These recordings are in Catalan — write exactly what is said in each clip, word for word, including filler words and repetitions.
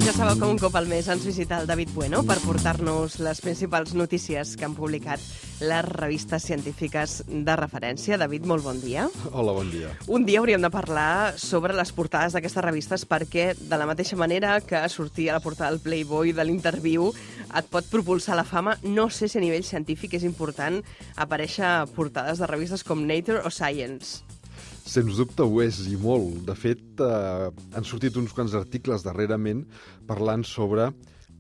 Ja sabeu que un cop al mes ens visita el David Bueno per portar-nos les principals notícies que han publicat les revistes científiques de referència. David, molt bon dia. Hola, bon dia. Un dia hauríem de parlar sobre les portades d'aquestes revistes perquè, de la mateixa manera que sortir a la portada del Playboy de l'Interviu et pot propulsar a la fama, no sé si a nivell científic és important aparèixer a portades de revistes com Nature o Science. Sens dubte ho és, i molt. De fet, eh, han sortit uns quants articles darrerament parlant sobre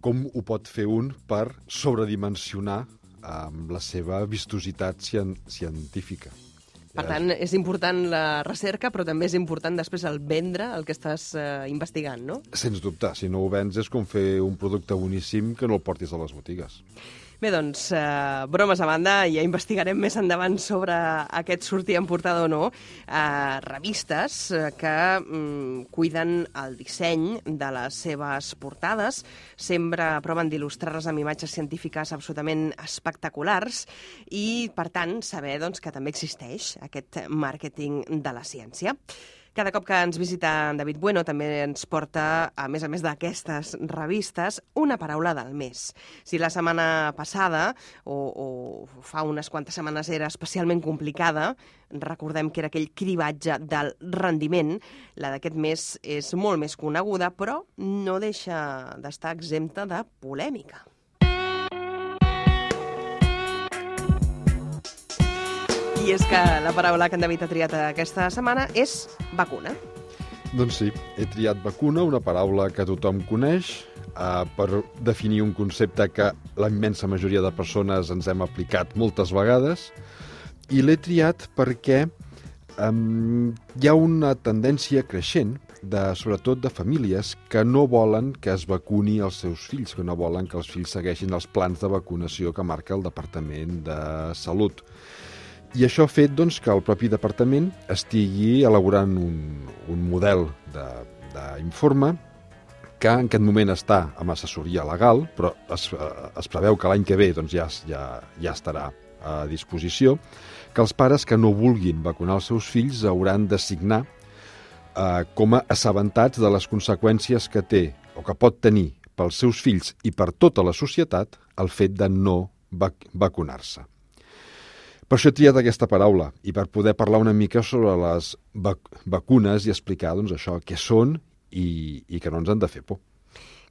com ho pot fer un per sobredimensionar amb la seva vistositat cien científica. Per tant, és important la recerca, però també és important després el vendre el que estàs eh, investigant, no? Sens dubte. Si no ho vens és com fer un producte boníssim que no el portis a les botigues. Bé, doncs, eh, bromes a banda, ja investigarem més endavant sobre aquest sortir en portada o no. Eh, revistes eh, que mm, cuiden el disseny de les seves portades, sempre proven d'il·lustrar-les amb imatges científiques absolutament espectaculars i, per tant, saber doncs, que també existeix aquest màrqueting de la ciència. Cada cop que ens visita en David Bueno també ens porta, a més a més d'aquestes revistes, una paraula del mes. Si la setmana passada, o, o fa unes quantes setmanes, era especialment complicada, recordem que era aquell cribatge del rendiment, la d'aquest mes és molt més coneguda, però no deixa d'estar exempta de polèmica. I és que la paraula que en David ha triat aquesta setmana és vacuna. Doncs sí, he triat vacuna, una paraula que tothom coneix, eh, per definir un concepte que la immensa majoria de persones ens hem aplicat moltes vegades, i l'he triat perquè eh, hi ha una tendència creixent, de, sobretot de famílies, que no volen que es vacuni els seus fills, que no volen que els fills segueixin els plans de vacunació que marca el Departament de Salut. I això ha fet doncs, que el propi departament estigui elaborant un, un model d'informe que en aquest moment està amb assessoria legal, però es, es preveu que l'any que ve doncs, ja, ja, ja estarà a disposició, que els pares que no vulguin vacunar els seus fills hauran de signar eh, com a assabentats de les conseqüències que té o que pot tenir pels seus fills i per tota la societat el fet de no vac vacunar-se. Per això he triat aquesta paraula, i per poder parlar una mica sobre les vac vacunes i explicar doncs, això, què són i, i que no ens han de fer por.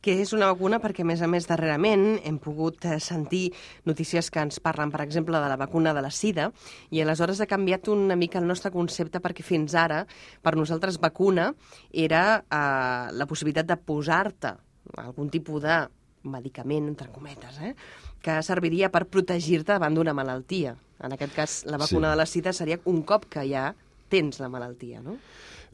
Que és una vacuna perquè, a més a més, darrerament hem pogut sentir notícies que ens parlen, per exemple, de la vacuna de la sida, i aleshores ha canviat una mica el nostre concepte perquè fins ara, per nosaltres, vacuna era eh, la possibilitat de posar-te algun tipus de medicament, entre cometes, eh? que serviria per protegir-te davant d'una malaltia. En aquest cas, la vacuna sí. de la sida seria un cop que ja tens la malaltia, no?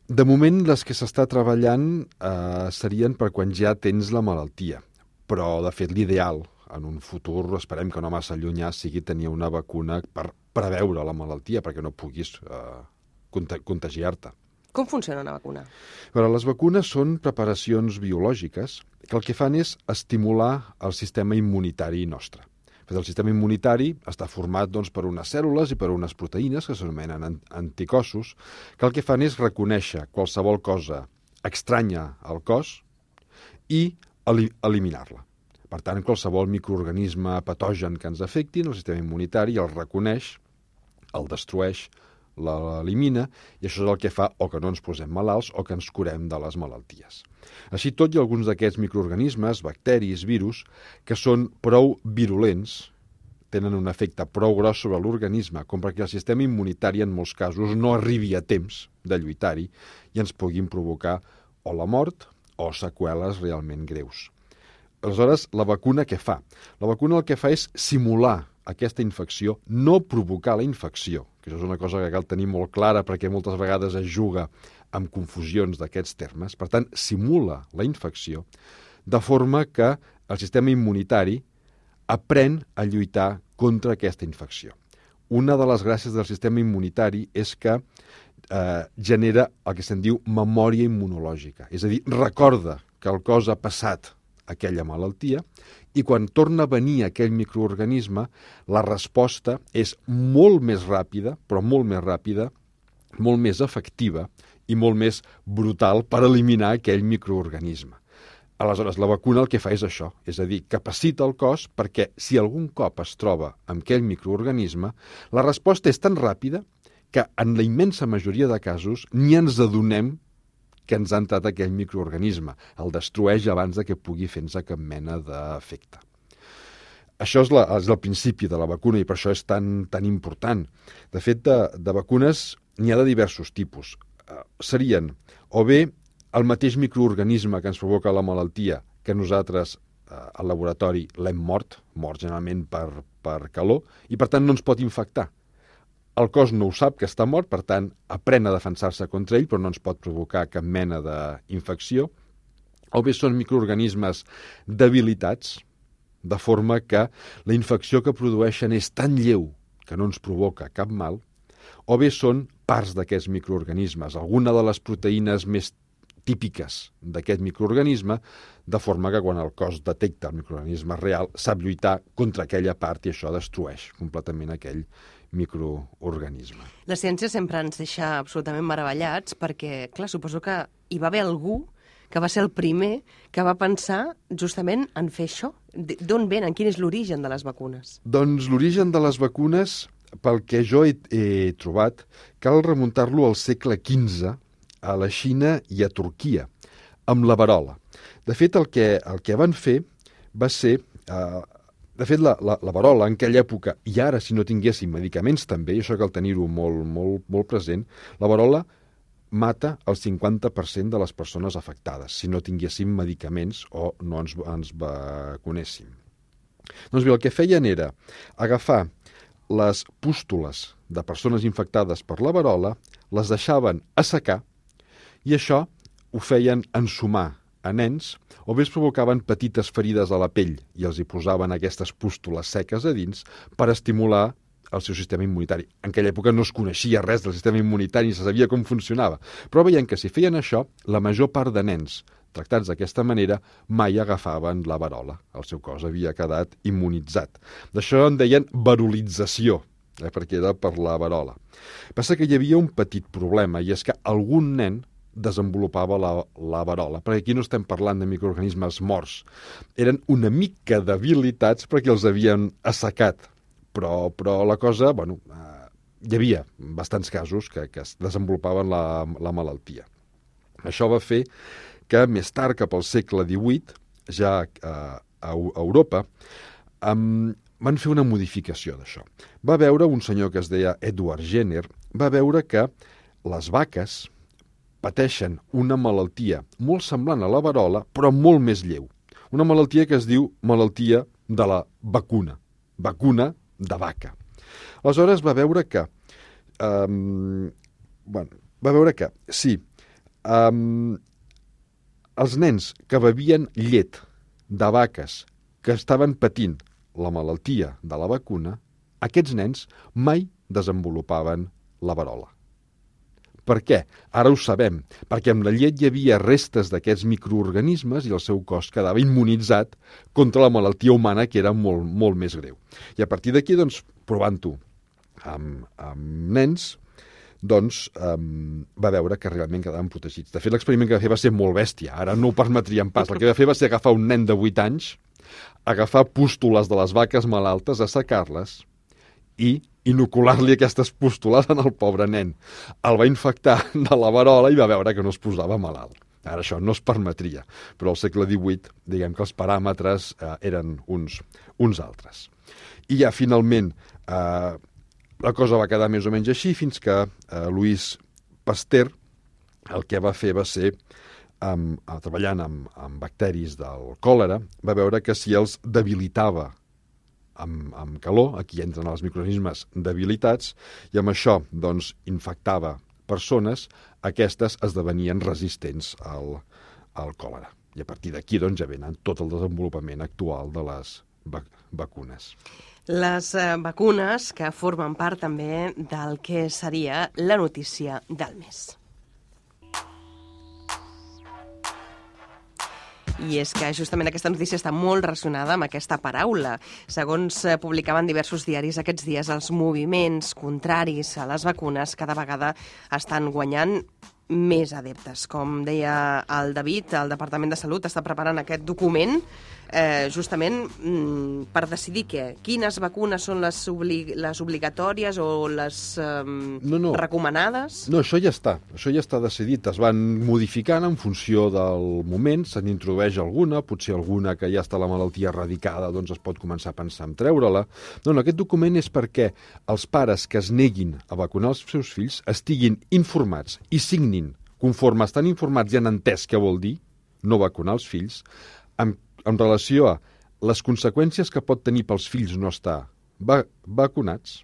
De moment, les que s'està treballant eh, serien per quan ja tens la malaltia. Però, de fet, l'ideal en un futur, esperem que no massa llunyà, sigui tenir una vacuna per preveure la malaltia, perquè no puguis eh, contagiar-te. Com funciona una vacuna? Però les vacunes són preparacions biològiques que el que fan és estimular el sistema immunitari nostre. El sistema immunitari està format doncs, per unes cèl·lules i per unes proteïnes que s'anomenen anticossos, que el que fan és reconèixer qualsevol cosa estranya al cos i eliminar-la. Per tant, qualsevol microorganisme patogen que ens afecti, el sistema immunitari el reconeix, el destrueix, l'elimina, i això és el que fa o que no ens posem malalts o que ens curem de les malalties. Així tot, hi ha alguns d'aquests microorganismes, bacteris, virus, que són prou virulents, tenen un efecte prou gros sobre l'organisme, com perquè el sistema immunitari en molts casos no arribi a temps de lluitar-hi i ens puguin provocar o la mort o seqüeles realment greus. Aleshores, la vacuna què fa? La vacuna el que fa és simular aquesta infecció, no provocar la infecció, que això és una cosa que cal tenir molt clara perquè moltes vegades es juga amb confusions d'aquests termes. Per tant, simula la infecció de forma que el sistema immunitari aprèn a lluitar contra aquesta infecció. Una de les gràcies del sistema immunitari és que eh, genera el que se'n diu memòria immunològica, és a dir, recorda que el cos ha passat aquella malaltia, i quan torna a venir aquell microorganisme, la resposta és molt més ràpida, però molt més ràpida, molt més efectiva i molt més brutal per eliminar aquell microorganisme. Aleshores, la vacuna el que fa és això, és a dir, capacita el cos perquè si algun cop es troba amb aquell microorganisme, la resposta és tan ràpida que en la immensa majoria de casos ni ens adonem que ens ha entrat aquell microorganisme. El destrueix abans de que pugui fer-nos cap mena d'efecte. Això és, la, és el principi de la vacuna i per això és tan, tan important. De fet, de, de vacunes n'hi ha de diversos tipus. Uh, serien o bé el mateix microorganisme que ens provoca la malaltia que nosaltres eh, al laboratori l'hem mort, mort generalment per, per calor, i per tant no ens pot infectar. El cos no ho sap que està mort, per tant aprèn a defensar-se contra ell, però no ens pot provocar cap mena d'infecció. O bé són microorganismes debilitats, de forma que la infecció que produeixen és tan lleu que no ens provoca cap mal, o bé són parts d'aquests microorganismes, alguna de les proteïnes més típiques d'aquest microorganisme, de forma que quan el cos detecta el microorganisme real sap lluitar contra aquella part i això destrueix completament aquell microorganisme. La ciència sempre ens deixa absolutament meravellats perquè, clar, suposo que hi va haver algú que va ser el primer que va pensar justament en fer això. D'on venen? Quin és l'origen de les vacunes? Doncs l'origen de les vacunes, pel que jo he, he trobat, cal remuntar-lo al segle quinze, a la Xina i a Turquia, amb la verola. De fet, el que, el que van fer va ser... Eh, de fet, la, la, la verola en aquella època, i ara si no tinguéssim medicaments també, i això cal tenir-ho molt, molt, molt present, la verola mata el cinquanta per cent de les persones afectades, si no tinguéssim medicaments o no ens, ens vacunéssim. Doncs bé, el que feien era agafar les pústules de persones infectades per la verola, les deixaven assecar, i això ho feien ensumar a nens, o bé es provocaven petites ferides a la pell i els hi posaven aquestes pústules seques a dins per estimular el seu sistema immunitari. En aquella època no es coneixia res del sistema immunitari ni se sabia com funcionava, però veien que si feien això, la major part de nens tractats d'aquesta manera mai agafaven la verola. El seu cos havia quedat immunitzat. D'això en deien verolització, eh, perquè era per la verola. Passa que hi havia un petit problema, i és que algun nen desenvolupava la, la verola, perquè aquí no estem parlant de microorganismes morts. Eren una mica debilitats perquè els havien assecat, però, però la cosa, bueno, eh, hi havia bastants casos que, que es desenvolupaven la, la malaltia. Això va fer que més tard, cap al segle divuit, ja eh, a, a Europa, eh, van fer una modificació d'això. Va veure un senyor que es deia Edward Jenner, va veure que les vaques pateixen una malaltia molt semblant a la verola, però molt més lleu. Una malaltia que es diu malaltia de la vacuna, vacuna de vaca. Aleshores va veure que, um, bueno, va veure que, sí, um, els nens que bevien llet de vaques que estaven patint la malaltia de la vacuna, aquests nens mai desenvolupaven la verola. Per què? Ara ho sabem, perquè amb la llet hi havia restes d'aquests microorganismes i el seu cos quedava immunitzat contra la malaltia humana, que era molt, molt més greu. I a partir d'aquí, doncs, provant-ho amb, amb nens, doncs um, va veure que realment quedaven protegits. De fet, l'experiment que va fer va ser molt bèstia, ara no ho permetríem pas. El que va fer va ser agafar un nen de vuit anys, agafar pústules de les vaques malaltes, assecar-les i inocular-li aquestes pústules en el pobre nen. El va infectar de la verola i va veure que no es posava malalt. Ara això no es permetria, però al segle divuit, diguem que els paràmetres eh, eren uns, uns altres. I ja finalment eh, la cosa va quedar més o menys així fins que eh, Louis Pasteur el que va fer va ser, amb, treballant amb, amb bacteris del còlera, va veure que si els debilitava amb, amb calor, aquí entren els microorganismes debilitats, i amb això doncs, infectava persones, aquestes esdevenien resistents al, al còlera. I a partir d'aquí doncs, ja venen tot el desenvolupament actual de les vac vacunes. Les eh, vacunes que formen part també del que seria la notícia del mes. I és que justament aquesta notícia està molt relacionada amb aquesta paraula. Segons eh, publicaven diversos diaris aquests dies, els moviments contraris a les vacunes cada vegada estan guanyant més adeptes. Com deia el David, el Departament de Salut està preparant aquest document eh, justament mm, per decidir què? Quines vacunes són les, obli les obligatòries o les eh, no, no. recomanades? No, això ja està. Això ja està decidit. Es van modificant en funció del moment. Se n'introdueix alguna, potser alguna que ja està la malaltia erradicada, doncs es pot començar a pensar en treure-la. No, no, aquest document és perquè els pares que es neguin a vacunar els seus fills estiguin informats i signin, conforme estan informats i han entès què vol dir no vacunar els fills, amb en relació a les conseqüències que pot tenir pels fills no estar va vacunats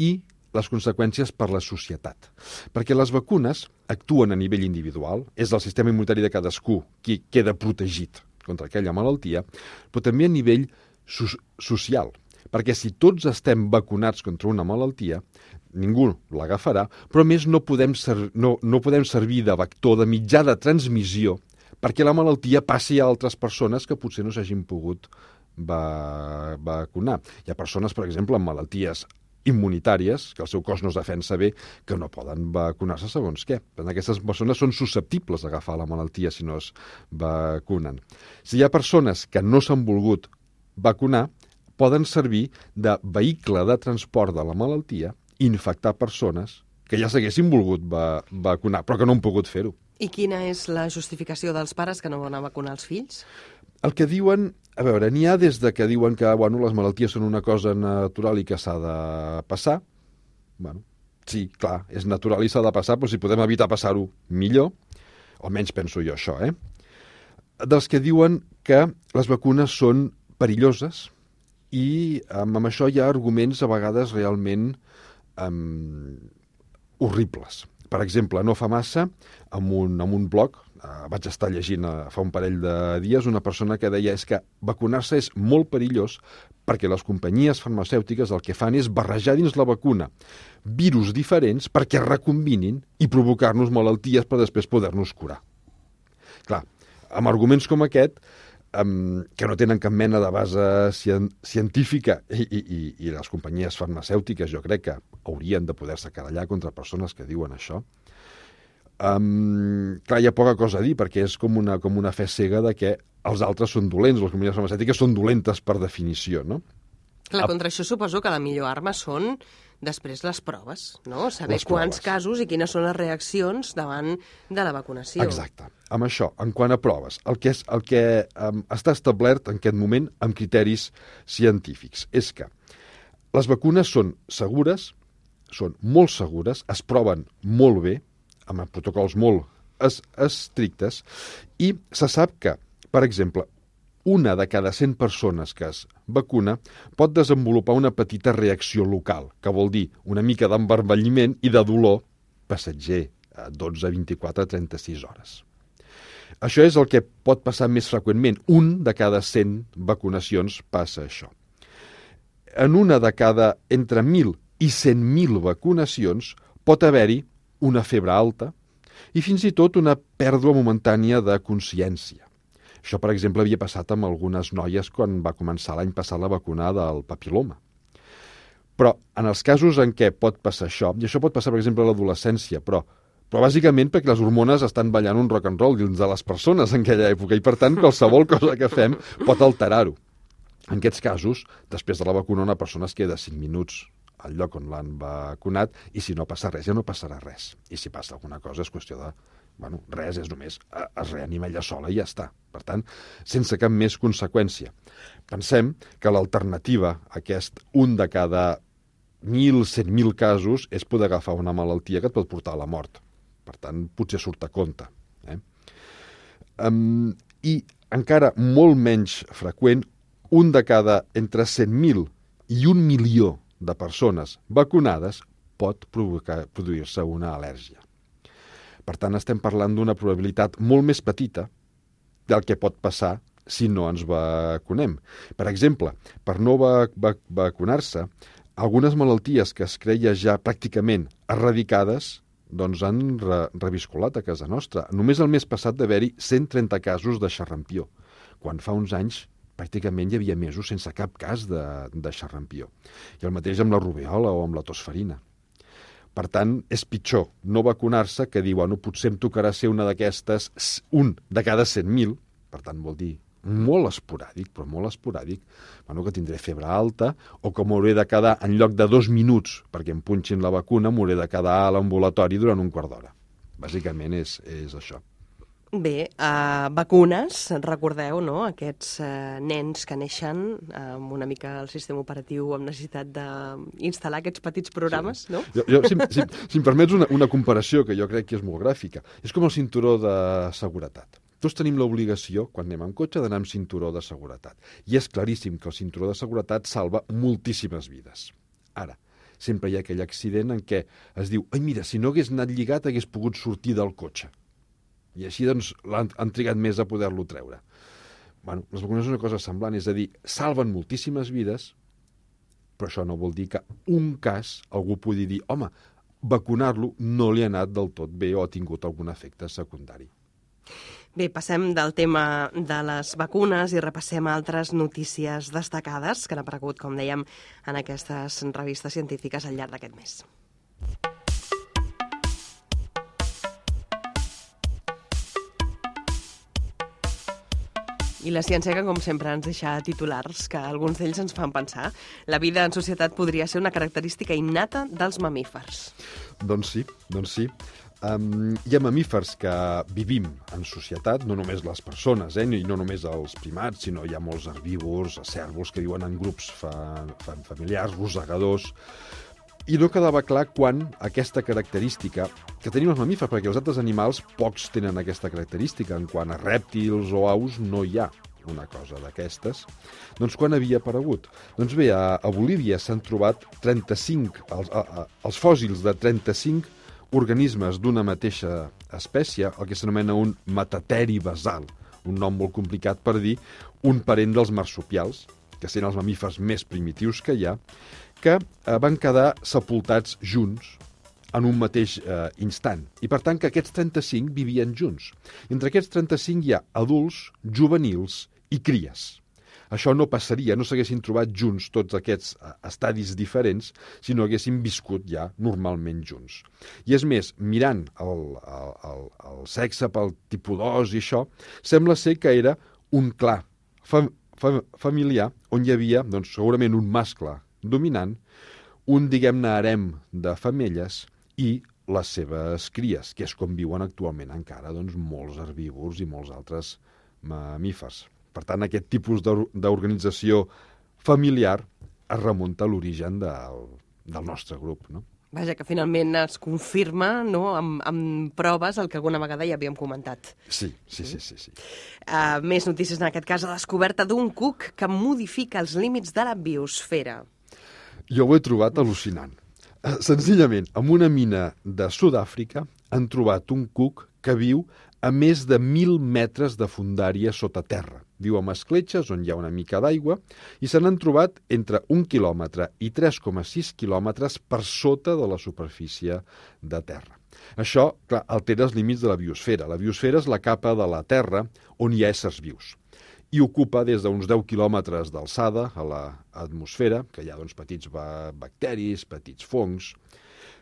i les conseqüències per la societat. Perquè les vacunes actuen a nivell individual, és el sistema immunitari de cadascú qui queda protegit contra aquella malaltia, però també a nivell so social. Perquè si tots estem vacunats contra una malaltia, ningú l'agafarà, però a més no podem, no, no podem servir de vector, de mitjà de transmissió, perquè la malaltia passi a altres persones que potser no s'hagin pogut va vacunar. Hi ha persones, per exemple, amb malalties immunitàries, que el seu cos no es defensa bé, que no poden vacunar-se segons què. Aquestes persones són susceptibles d'agafar la malaltia si no es vacunen. Si hi ha persones que no s'han volgut vacunar, poden servir de vehicle de transport de la malaltia i infectar persones que ja s'haguessin volgut va vacunar, però que no han pogut fer-ho. I quina és la justificació dels pares que no van a vacunar els fills? El que diuen, a veure, n'hi ha des de que diuen que bueno, les malalties són una cosa natural i que s'ha de passar. Bueno, sí, clar, és natural i s'ha de passar, però si podem evitar passar-ho, millor. Almenys penso jo això, eh? Dels que diuen que les vacunes són perilloses i amb, amb això hi ha arguments a vegades realment um, horribles. Per exemple, no fa massa, en un, en un blog, eh, vaig estar llegint eh, fa un parell de dies, una persona que deia és que vacunar-se és molt perillós perquè les companyies farmacèutiques el que fan és barrejar dins la vacuna virus diferents perquè recombinin i provocar-nos malalties per després poder-nos curar. Clar, amb arguments com aquest, um, que no tenen cap mena de base cien científica i, i, i, i les companyies farmacèutiques jo crec que haurien de poder-se querellar contra persones que diuen això. Um, clar, hi ha poca cosa a dir perquè és com una, com una fe cega de que els altres són dolents, les companyies farmacèutiques són dolentes per definició, no? Clar, contra això suposo que la millor arma són després les proves, no? Saber quants casos i quines són les reaccions davant de la vacunació. Exacte. Amb això, en quant a proves, el que, és, el que um, està establert en aquest moment amb criteris científics és que les vacunes són segures, són molt segures, es proven molt bé, amb protocols molt es estrictes, i se sap que, per exemple, una de cada cent persones que es vacuna pot desenvolupar una petita reacció local, que vol dir una mica d'envermelliment i de dolor passatger, a dotze, vint-i-quatre, trenta-sis hores. Això és el que pot passar més freqüentment. Un de cada cent vacunacions passa això. En una de cada entre mil i cent mil vacunacions pot haver-hi una febre alta i fins i tot una pèrdua momentània de consciència. Això, per exemple, havia passat amb algunes noies quan va començar l'any passat la vacuna del papiloma. Però en els casos en què pot passar això, i això pot passar, per exemple, a l'adolescència, però, però bàsicament perquè les hormones estan ballant un rock and roll dins de les persones en aquella època i, per tant, qualsevol cosa que fem pot alterar-ho. En aquests casos, després de la vacuna, una persona es queda cinc minuts al lloc on l'han vacunat i si no passa res, ja no passarà res. I si passa alguna cosa és qüestió de... Bueno, res, és només es reanima ella sola i ja està. Per tant, sense cap més conseqüència. Pensem que l'alternativa a aquest un de cada mil, cent mil casos és poder agafar una malaltia que et pot portar a la mort. Per tant, potser surt a compte. Eh? Um, I encara molt menys freqüent, un de cada entre cent mil i un milió de persones vacunades pot provocar produir-se una al·lèrgia. Per tant, estem parlant d'una probabilitat molt més petita del que pot passar si no ens vacunem. Per exemple, per no va va vacunar-se, algunes malalties que es creia ja pràcticament erradicades doncs han re reviscolat a casa nostra. Només el mes passat d'haver-hi cent trenta casos de xarrampió, quan fa uns anys pràcticament hi havia mesos sense cap cas de, de xarrampió. I el mateix amb la rubèola o amb la tosferina. Per tant, és pitjor no vacunar-se que dir, bueno, potser em tocarà ser una d'aquestes, un de cada cent mil, per tant vol dir molt esporàdic, però molt esporàdic, bueno, que tindré febre alta o que m'hauré de quedar, en lloc de dos minuts perquè em punxin la vacuna, m'hauré de quedar a l'ambulatori durant un quart d'hora. Bàsicament és, és això. Bé, uh, vacunes, recordeu, no?, aquests uh, nens que neixen uh, amb una mica el sistema operatiu amb necessitat d'instal·lar aquests petits programes, sí. No? Jo, jo, si, si, si em permets una, una comparació que jo crec que és molt gràfica, és com el cinturó de seguretat. Tots tenim l'obligació, quan anem en cotxe, d'anar amb cinturó de seguretat. I és claríssim que el cinturó de seguretat salva moltíssimes vides. Ara, sempre hi ha aquell accident en què es diu «Ai, mira, si no hagués anat lligat, hagués pogut sortir del cotxe». I així, doncs, han, han trigat més a poder-lo treure. Bueno, les vacunes és una cosa semblant, és a dir, salven moltíssimes vides, però això no vol dir que un cas algú pugui dir «Home, vacunar-lo no li ha anat del tot bé o ha tingut algun efecte secundari». Bé, passem del tema de les vacunes i repassem altres notícies destacades que han aparegut, com dèiem, en aquestes revistes científiques al llarg d'aquest mes. I la ciència que, com sempre, ens deixa titulars que alguns d'ells ens fan pensar. La vida en societat podria ser una característica innata dels mamífers. Doncs sí, doncs sí. Um, hi ha mamífers que vivim en societat, no només les persones, eh, i no només els primats, sinó hi ha molts herbívors, cérvols que viuen en grups fa, fa, familiars, rosegadors. I no quedava clar quan aquesta característica que tenim els mamífers, perquè els altres animals pocs tenen aquesta característica, en quant a rèptils o aus no hi ha una cosa d'aquestes. Doncs quan havia aparegut? Doncs bé, a, a Bolívia s'han trobat trenta-cinc, els, a, a, els fòssils de trenta-cinc organismes d'una mateixa espècie, el que s'anomena un metateri basal, un nom molt complicat per dir un parent dels marsupials, que són els mamífers més primitius que hi ha, que eh, van quedar sepultats junts en un mateix eh, instant. I per tant que aquests trenta-cinc vivien junts. I entre aquests trenta-cinc hi ha adults, juvenils i cries. Això no passaria, no s'haguessin trobat junts tots aquests eh, estadis diferents si no haguessin viscut ja normalment junts. I és més, mirant el, el, el, el sexe pel tipus dos i això, sembla ser que era un clan fam, fam, familiar on hi havia doncs, segurament un mascle dominant, un, diguem-ne, harem de femelles i les seves cries, que és com viuen actualment encara doncs, molts herbívors i molts altres mamífers. Per tant, aquest tipus d'organització familiar es remunta a l'origen del, del nostre grup, no? Vaja, que finalment es confirma, no?, amb, amb proves el que alguna vegada ja havíem comentat. Sí, sí, sí, sí. sí. Uh, més notícies en aquest cas, la descoberta d'un cuc que modifica els límits de la biosfera. Jo ho he trobat al·lucinant. Senzillament, en una mina de Sud-àfrica han trobat un cuc que viu a més de mil metres de fondària sota terra. Viu amb escletxes on hi ha una mica d'aigua i se n'han trobat entre un quilòmetre i tres coma sis quilòmetres per sota de la superfície de terra. Això, clar, altera els límits de la biosfera. La biosfera és la capa de la terra on hi ha éssers vius i ocupa des d'uns deu quilòmetres d'alçada a l'atmosfera, que hi ha doncs, petits bacteris, petits fongs,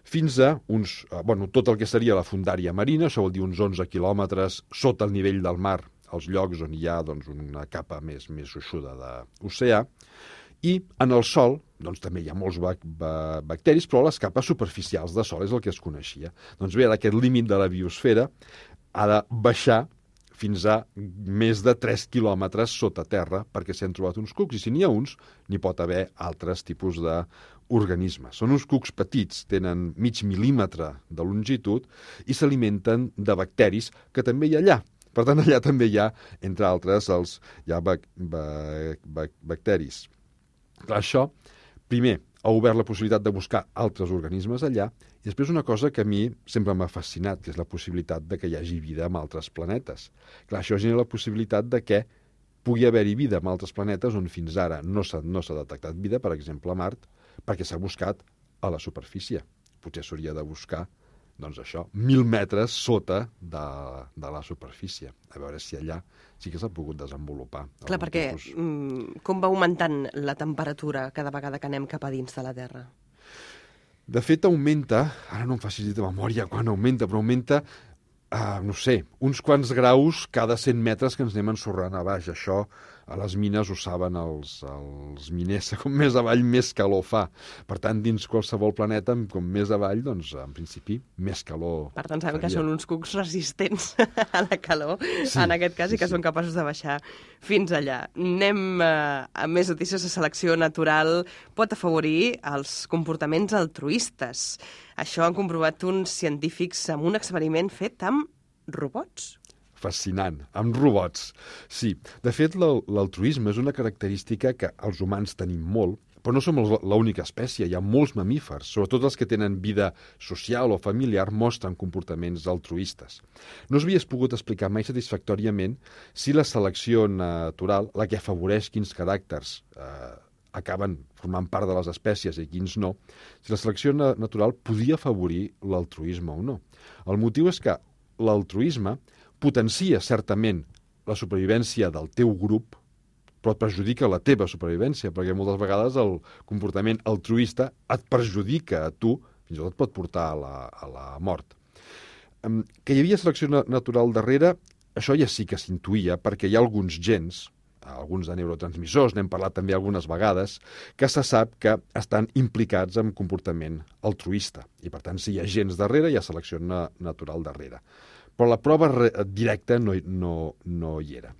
fins a uns, bueno, tot el que seria la fondària marina, això vol dir uns onze quilòmetres sota el nivell del mar, als llocs on hi ha doncs, una capa més, més gruixuda d'oceà, i en el sol doncs, també hi ha molts bac bacteris, però les capes superficials de sol és el que es coneixia. Doncs bé, aquest límit de la biosfera ha de baixar fins a més de tres quilòmetres sota terra, perquè s'hi han trobat uns cucs, i si n'hi ha uns, n'hi pot haver altres tipus d'organismes. Són uns cucs petits, tenen mig mil·límetre de longitud i s'alimenten de bacteris que també hi ha allà. Per tant, allà també hi ha, entre altres, els, hi ha bac bac bac bacteris. Clar, això, primer, ha obert la possibilitat de buscar altres organismes allà, i després una cosa que a mi sempre m'ha fascinat, que és la possibilitat de que hi hagi vida en altres planetes. Clar, això genera la possibilitat de que pugui haver-hi vida en altres planetes on fins ara no s'ha no s'ha detectat vida, per exemple a Mart, perquè s'ha buscat a la superfície. Potser s'hauria de buscar, doncs això, mil metres sota de, de la superfície. A veure si allà sí que s'ha pogut desenvolupar. Clar, perquè tipus... com va augmentant la temperatura cada vegada que anem cap a dins de la Terra? De fet, augmenta, ara no em facis dir de memòria quan augmenta, però augmenta, uh, no sé, uns quants graus cada cent metres que ens anem ensorrant a baix. Això a les mines ho saben els, els miners, com més avall més calor fa. Per tant, dins qualsevol planeta, com més avall, doncs, en principi, més calor. Per tant, sabem faria. que són uns cucs resistents a la calor, sí, en aquest cas, sí, i que sí. són capaços de baixar fins allà. Anem eh, a més notícies. La selecció natural pot afavorir els comportaments altruistes. Això han comprovat uns científics amb un experiment fet amb robots. Fascinant, amb robots. Sí, de fet, l'altruisme és una característica que els humans tenim molt, però no som l'única espècie. Hi ha molts mamífers, sobretot els que tenen vida social o familiar, mostren comportaments altruistes. No s'havia pogut explicar mai satisfactòriament si la selecció natural, la que afavoreix quins caràcters eh, acaben formant part de les espècies i quins no, si la selecció natural podia afavorir l'altruisme o no. El motiu és que l'altruisme potencia certament la supervivència del teu grup, però et perjudica la teva supervivència, perquè moltes vegades el comportament altruista et perjudica a tu, fins i tot et pot portar a la, a la mort. Que hi havia selecció natural darrere, això ja sí que s'intuïa, perquè hi ha alguns gens, alguns de neurotransmissors, n'hem parlat també algunes vegades, que se sap que estan implicats en comportament altruista. I, per tant, si hi ha gens darrere, hi ha selecció natural darrere. Però la prova directa no, no, no hi era.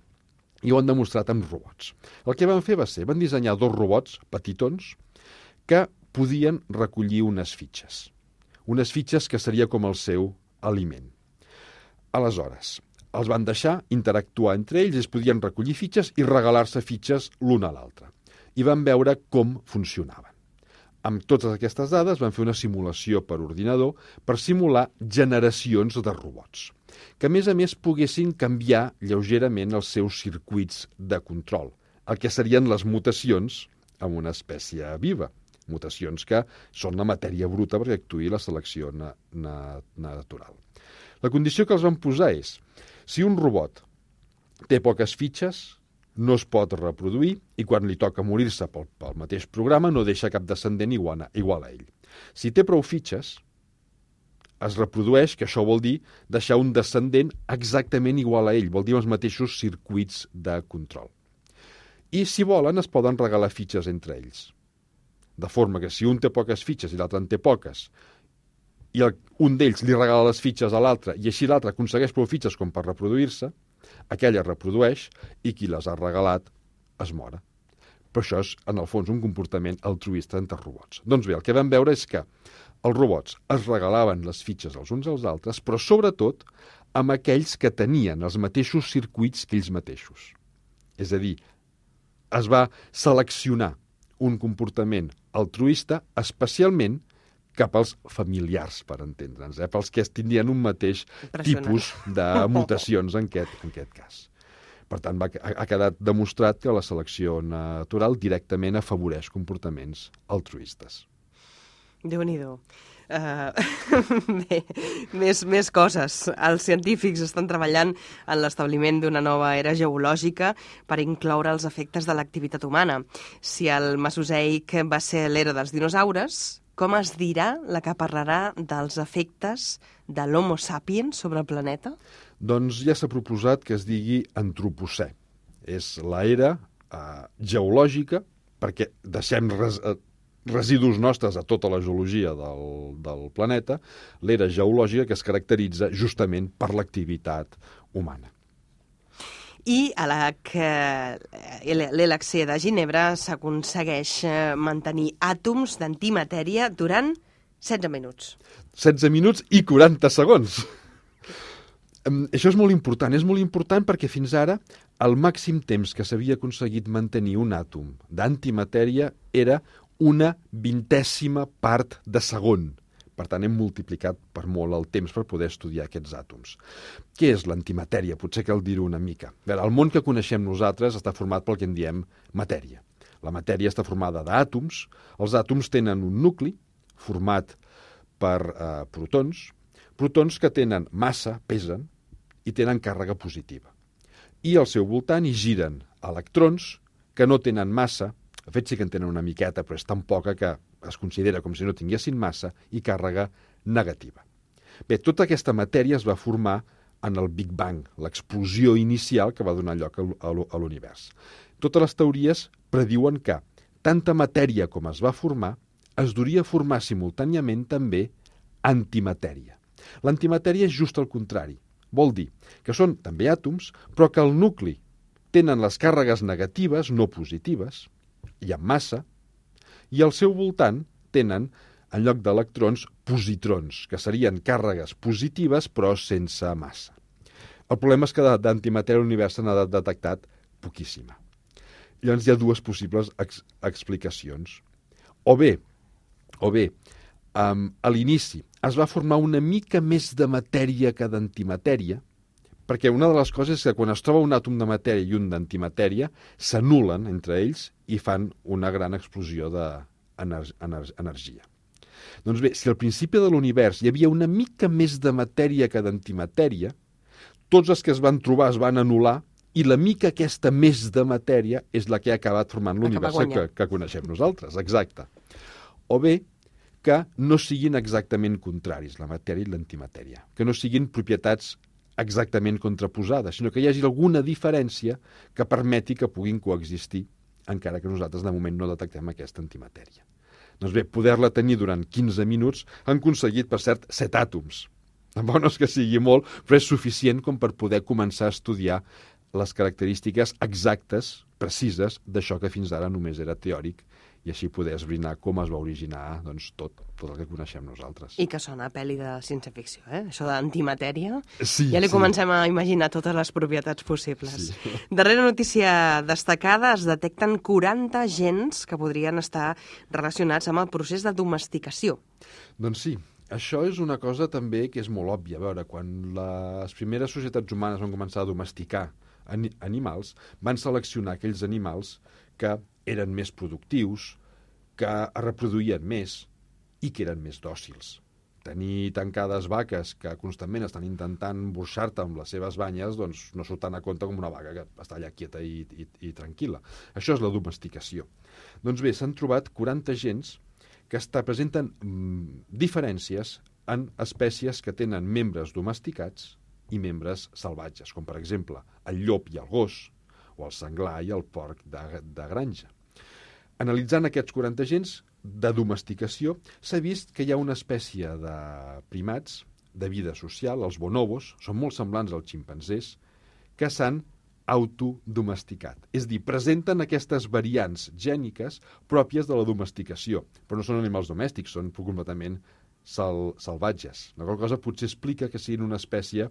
I ho han demostrat amb robots. El que van fer va ser, van dissenyar dos robots petitons que podien recollir unes fitxes. Unes fitxes que seria com el seu aliment. Aleshores, els van deixar interactuar entre ells, es podien recollir fitxes i regalar-se fitxes l'un a l'altre. I van veure com funcionaven. Amb totes aquestes dades van fer una simulació per ordinador per simular generacions de robots, que a més a més poguessin canviar lleugerament els seus circuits de control, el que serien les mutacions en una espècie viva, mutacions que són la matèria bruta perquè actuï la selecció na na natural. La condició que els van posar és, si un robot té poques fitxes, no es pot reproduir i quan li toca morir-se pel, pel mateix programa no deixa cap descendent igual a, igual a ell. Si té prou fitxes, es reprodueix, que això vol dir deixar un descendent exactament igual a ell, vol dir els mateixos circuits de control. I si volen es poden regalar fitxes entre ells. De forma que si un té poques fitxes i l'altre en té poques, i el, un d'ells li regala les fitxes a l'altre i així l'altre aconsegueix prou fitxes com per reproduir-se, aquella reprodueix i qui les ha regalat es mora. Però això és, en el fons, un comportament altruista entre robots. Doncs bé, el que vam veure és que els robots es regalaven les fitxes els uns als altres, però sobretot amb aquells que tenien els mateixos circuits que ells mateixos. És a dir, es va seleccionar un comportament altruista especialment cap als familiars, per entendre'ns, eh? Pels que tindrien un mateix tipus de mutacions en aquest, en aquest cas. Per tant, va, ha quedat demostrat que la selecció natural directament afavoreix comportaments altruistes. Déu-n'hi-do. Uh, bé, més, més coses. Els científics estan treballant en l'establiment d'una nova era geològica per incloure els efectes de l'activitat humana. Si el Mesozoic va ser l'era dels dinosaures, com es dirà la que parlarà dels efectes de l'Homo sapiens sobre el planeta? Doncs ja s'ha proposat que es digui antropocè. És l'era eh, geològica, perquè deixem res, eh, residus nostres a tota la geologia del, del planeta, l'era geològica que es caracteritza justament per l'activitat humana. I a la que l'L H C de Ginebra s'aconsegueix mantenir àtoms d'antimatèria durant setze minuts. setze minuts i quaranta segons. Um, això és molt important. És molt important perquè fins ara el màxim temps que s'havia aconseguit mantenir un àtom d'antimatèria era una vintèsima part de segon. Per tant, hem multiplicat per molt el temps per poder estudiar aquests àtoms. Què és l'antimatèria? Potser cal dir-ho una mica. A veure, el món que coneixem nosaltres està format pel que en diem matèria. La matèria està formada d'àtoms. Els àtoms tenen un nucli format per eh, protons, protons que tenen massa, pesen, i tenen càrrega positiva. I al seu voltant hi giren electrons que no tenen massa, de fet sí que en tenen una miqueta, però és tan poca que es considera com si no tinguessin massa, i càrrega negativa. Bé, tota aquesta matèria es va formar en el Big Bang, l'explosió inicial que va donar lloc a l'univers. Totes les teories prediuen que tanta matèria com es va formar es duria a formar simultàniament també antimatèria. L'antimatèria és just el contrari. Vol dir que són també àtoms, però que el nucli tenen les càrregues negatives, no positives, i amb massa, i al seu voltant tenen, en lloc d'electrons, positrons, que serien càrregues positives però sense massa. El problema és que d'antimatèria a l'univers se n'ha detectat poquíssima. Llavors hi ha dues possibles ex explicacions. O bé, o bé, um, a l'inici es va formar una mica més de matèria que d'antimatèria, perquè una de les coses és que quan es troba un àtom de matèria i un d'antimatèria, s'anulen entre ells i fan una gran explosió d'energia. Doncs bé, si al principi de l'univers hi havia una mica més de matèria que d'antimatèria, tots els que es van trobar es van anular i la mica aquesta més de matèria és la que ha acabat formant l'univers que, que coneixem nosaltres. Exacte. O bé, que no siguin exactament contraris, la matèria i l'antimatèria, que no siguin propietats exactament contraposades, sinó que hi hagi alguna diferència que permeti que puguin coexistir, encara que nosaltres de moment no detectem aquesta antimatèria. Doncs bé, poder-la tenir durant quinze minuts han aconseguit, per cert, set àtoms. Tampoc no és que sigui molt, però és suficient com per poder començar a estudiar les característiques exactes, precises, d'això que fins ara només era teòric, i així poder esbrinar com es va originar doncs, tot, tot el que coneixem nosaltres. I que sona a pel·li de ciència-ficció, eh? Això d'antimatèria. Sí, ja li sí. Comencem a imaginar totes les propietats possibles. Sí. Darrera notícia destacada, es detecten quaranta gens que podrien estar relacionats amb el procés de domesticació. Doncs sí, això és una cosa també que és molt òbvia. A veure, quan les primeres societats humanes van començar a domesticar animals, van seleccionar aquells animals que eren més productius, que es reproduïen més i que eren més dòcils. Tenir tancades vaques que constantment estan intentant burxar-te amb les seves banyes, doncs no surt tan a compte com una vaca que està allà quieta i, i, i tranquil·la. Això és la domesticació. Doncs bé, s'han trobat quaranta gens que està, presenten mm, diferències en espècies que tenen membres domesticats i membres salvatges, com per exemple el llop i el gos, o el senglar i el porc de, de granja. Analitzant aquests quaranta gens de domesticació, s'ha vist que hi ha una espècie de primats de vida social, els bonobos, són molt semblants als ximpanzés, que s'han autodomesticat. És a dir, presenten aquestes variants gèniques pròpies de la domesticació, però no són animals domèstics, són completament sal, salvatges. La qual cosa potser explica que siguin una espècie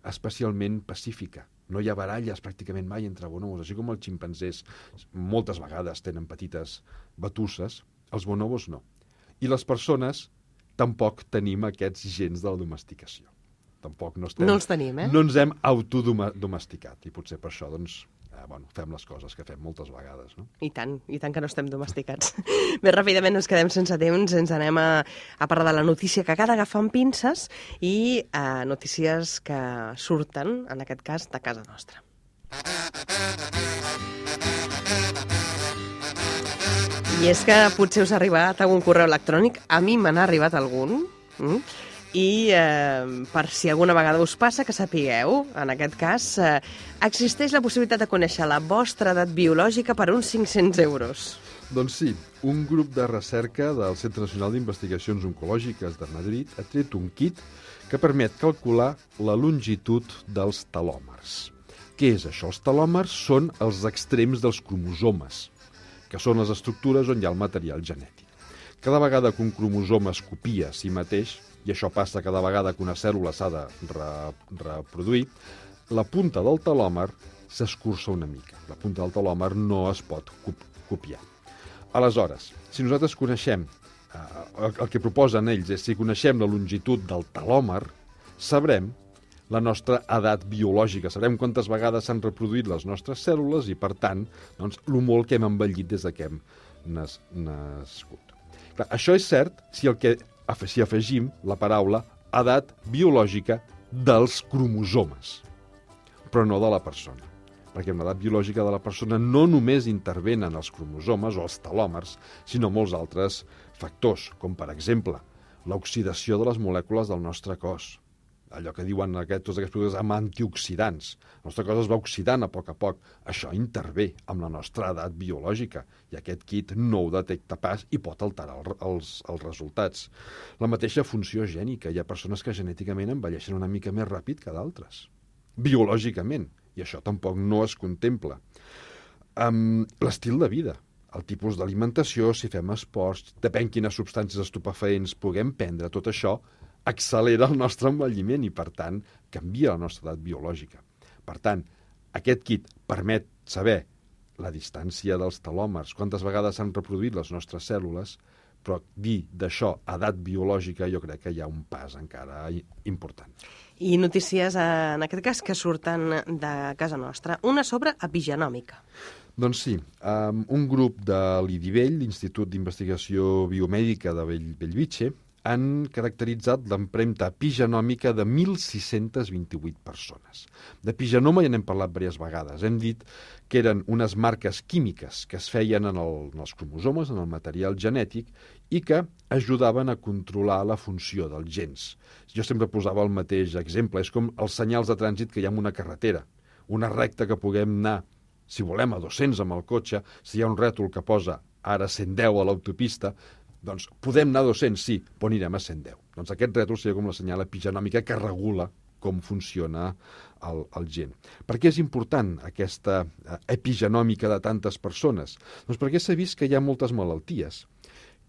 especialment pacífica. No hi ha baralles pràcticament mai entre bonobos, així com els ximpanzés moltes vegades tenen petites batusses, els bonobos no. I les persones tampoc tenim aquests gens de la domesticació. Tampoc no, estem, no els tenim, eh? No ens hem autodomesticat, i potser per això doncs, eh, bueno, fem les coses que fem moltes vegades. No? I tant, i tant que no estem domesticats. Bé, ràpidament ens quedem sense temps, ens anem a, a parlar de la notícia que cal agafar amb pinces i eh, notícies que surten, en aquest cas, de casa nostra. I és que potser us ha arribat algun correu electrònic, a mi me n'ha arribat algun, mm? i eh, per si alguna vegada us passa, que sapigueu, en aquest cas, eh, existeix la possibilitat de conèixer la vostra edat biològica per uns cinc-cents euros. Doncs sí, un grup de recerca del Centre Nacional d'Investigacions Oncològiques de Madrid ha tret un kit que permet calcular la longitud dels telòmers. Què és això? Els telòmers són els extrems dels cromosomes, que són les estructures on hi ha el material genètic. Cada vegada que un cromosoma es copia a si mateix, i això passa cada vegada que una cèl·lula s'ha de re reproduir, la punta del telòmer s'escurça una mica. La punta del telòmer no es pot copiar. Aleshores, si nosaltres coneixem, eh, el que proposen ells és si coneixem la longitud del telòmer, sabrem la nostra edat biològica, sabrem quantes vegades s'han reproduït les nostres cèl·lules i, per tant, doncs, el molt que hem envellit des que hem nas nascut. Clar, això és cert si, el que, si afegim la paraula edat biològica dels cromosomes, però no de la persona. Perquè en l'edat biològica de la persona no només intervenen els cromosomes o els telòmers, sinó molts altres factors, com per exemple l'oxidació de les molècules del nostre cos, allò que diuen aquest, tots aquests productes amb antioxidants. El nostre cos es va oxidant a poc a poc. Això intervé amb la nostra edat biològica i aquest kit no ho detecta pas i pot alterar el, els, els resultats. La mateixa funció gènica. Hi ha persones que genèticament envelleixen una mica més ràpid que d'altres, biològicament, i això tampoc no es contempla. Um, l'estil de vida, el tipus d'alimentació, si fem esports, depèn quines substàncies estupefaents puguem prendre, tot això accelera el nostre envelliment i, per tant, canvia la nostra edat biològica. Per tant, aquest kit permet saber la distància dels telòmers, quantes vegades s'han reproduït les nostres cèl·lules, però dir d'això edat biològica jo crec que hi ha un pas encara important. I notícies, en aquest cas, que surten de casa nostra. Una sobre epigenòmica. Doncs sí, um, un grup de l'I D I Bell, l'Institut d'Investigació Biomèdica de Bell, Bellvitge, han caracteritzat l'empremta epigenòmica de mil sis-cents vint-i-vuit persones. D'epigenoma ja n'hem parlat diverses vegades. Hem dit que eren unes marques químiques que es feien en, el, en els cromosomes, en el material genètic, i que ajudaven a controlar la funció dels gens. Jo sempre posava el mateix exemple. És com els senyals de trànsit que hi ha en una carretera. Una recta que puguem anar, si volem, a dos-cents amb el cotxe, si hi ha un rètol que posa ara cent deu a l'autopista, doncs podem anar a dos-cents, sí, però anirem a cent deu. Doncs aquest rètol seria com la senyal epigenòmica que regula com funciona el, el gen. Per què és important aquesta epigenòmica de tantes persones? Doncs perquè s'ha vist que hi ha moltes malalties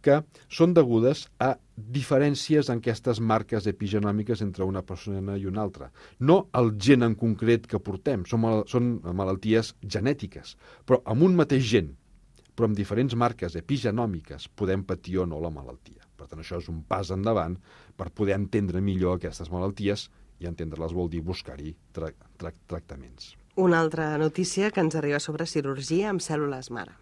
que són degudes a diferències en aquestes marques epigenòmiques entre una persona i una altra. No el gen en concret que portem, són, mal, són malalties genètiques, però amb un mateix gen, però amb diferents marques epigenòmiques podem patir o no la malaltia. Per tant, això és un pas endavant per poder entendre millor aquestes malalties i entendre-les vol dir buscar-hi tra tra tractaments. Una altra notícia que ens arriba sobre cirurgia amb cèl·lules mare.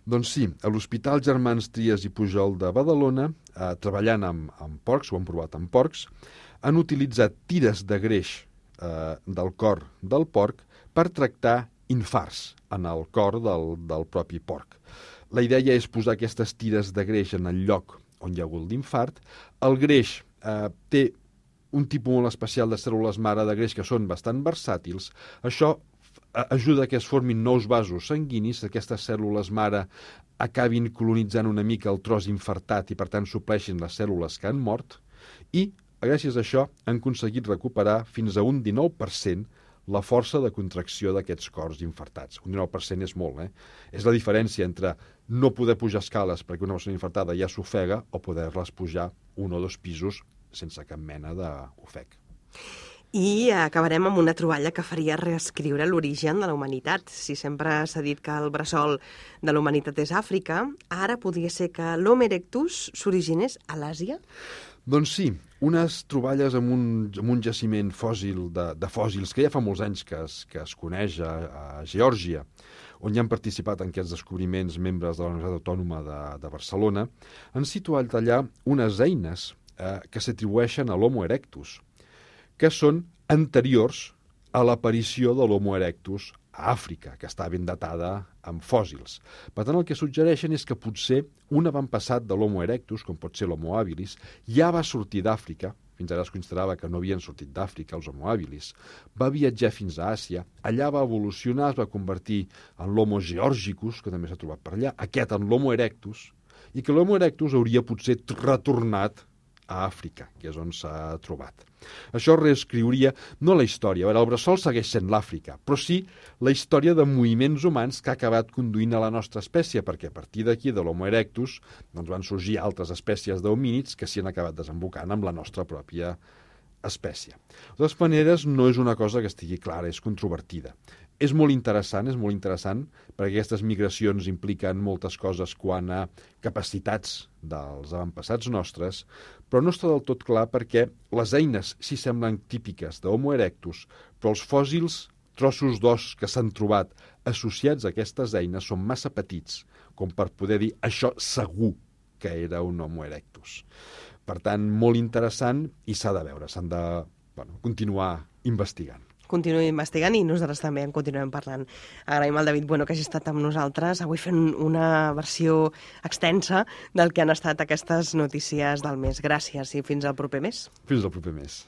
Doncs sí, a l'Hospital Germans Trias i Pujol de Badalona, eh, treballant amb, amb porcs, ho han provat amb porcs, han utilitzat tires de greix eh, del cor del porc per tractar infarts en el cor del, del propi porc. La idea és posar aquestes tires de greix en el lloc on hi ha hagut l'infart. El greix eh, té un tipus molt especial de cèl·lules mare de greix que són bastant versàtils. Això ajuda que es formin nous vasos sanguinis, aquestes cèl·lules mare acabin colonitzant una mica el tros infartat i per tant supleixin les cèl·lules que han mort i gràcies a això han aconseguit recuperar fins a un dinou per cent la força de contracció d'aquests cors infartats. Un dinou per cent és molt, eh? És la diferència entre no poder pujar escales perquè una persona infartada ja s'ofega o poder-les pujar un o dos pisos sense cap mena d'ofec. I acabarem amb una troballa que faria reescriure l'origen de la humanitat. Si sempre s'ha dit que el bressol de la humanitat és Àfrica, ara podria ser que l'Homo erectus s'originés a l'Àsia? Doncs sí, unes troballes amb un, amb un jaciment fòssil de, de fòssils que ja fa molts anys que es, que es coneix a, a Geòrgia, on hi han participat en aquests descobriments membres de la Universitat Autònoma de, de Barcelona, han situat allà unes eines eh, que s'atribueixen a l'Homo erectus, que són anteriors a l'aparició de l'Homo erectus a Àfrica, que està ben datada amb fòssils. Per tant, el que suggereixen és que potser un avantpassat de l'Homo erectus, com pot ser l'Homo habilis, ja va sortir d'Àfrica, fins ara es considerava que no havien sortit d'Àfrica els Homo habilis, va viatjar fins a Àsia, allà va evolucionar, es va convertir en l'Homo georgicus, que també s'ha trobat per allà, aquest en l'Homo erectus, i que l'Homo erectus hauria potser retornat a Àfrica, que és on s'ha trobat. Això reescriuria no la història, a veure, el bressol segueix sent l'Àfrica, però sí la història de moviments humans que ha acabat conduint a la nostra espècie, perquè a partir d'aquí, de l'Homo erectus, doncs van sorgir altres espècies d'homínids que s'hi han acabat desembocant amb la nostra pròpia espècie. De totes maneres, no és una cosa que estigui clara, és controvertida. És molt interessant, és molt interessant, perquè aquestes migracions impliquen moltes coses quant a capacitats dels avantpassats nostres, però no està del tot clar perquè les eines sí semblen típiques d'Homo erectus, però els fòssils, trossos d'os que s'han trobat associats a aquestes eines són massa petits com per poder dir això segur que era un Homo erectus. Per tant, molt interessant i s'ha de veure, s'han de bueno, continuar investigant. continuï investigant i nosaltres també en continuem parlant. Agraïm al David Bueno que hagi estat amb nosaltres avui fent una versió extensa del que han estat aquestes notícies del mes. Gràcies i fins al proper mes. Fins al proper mes.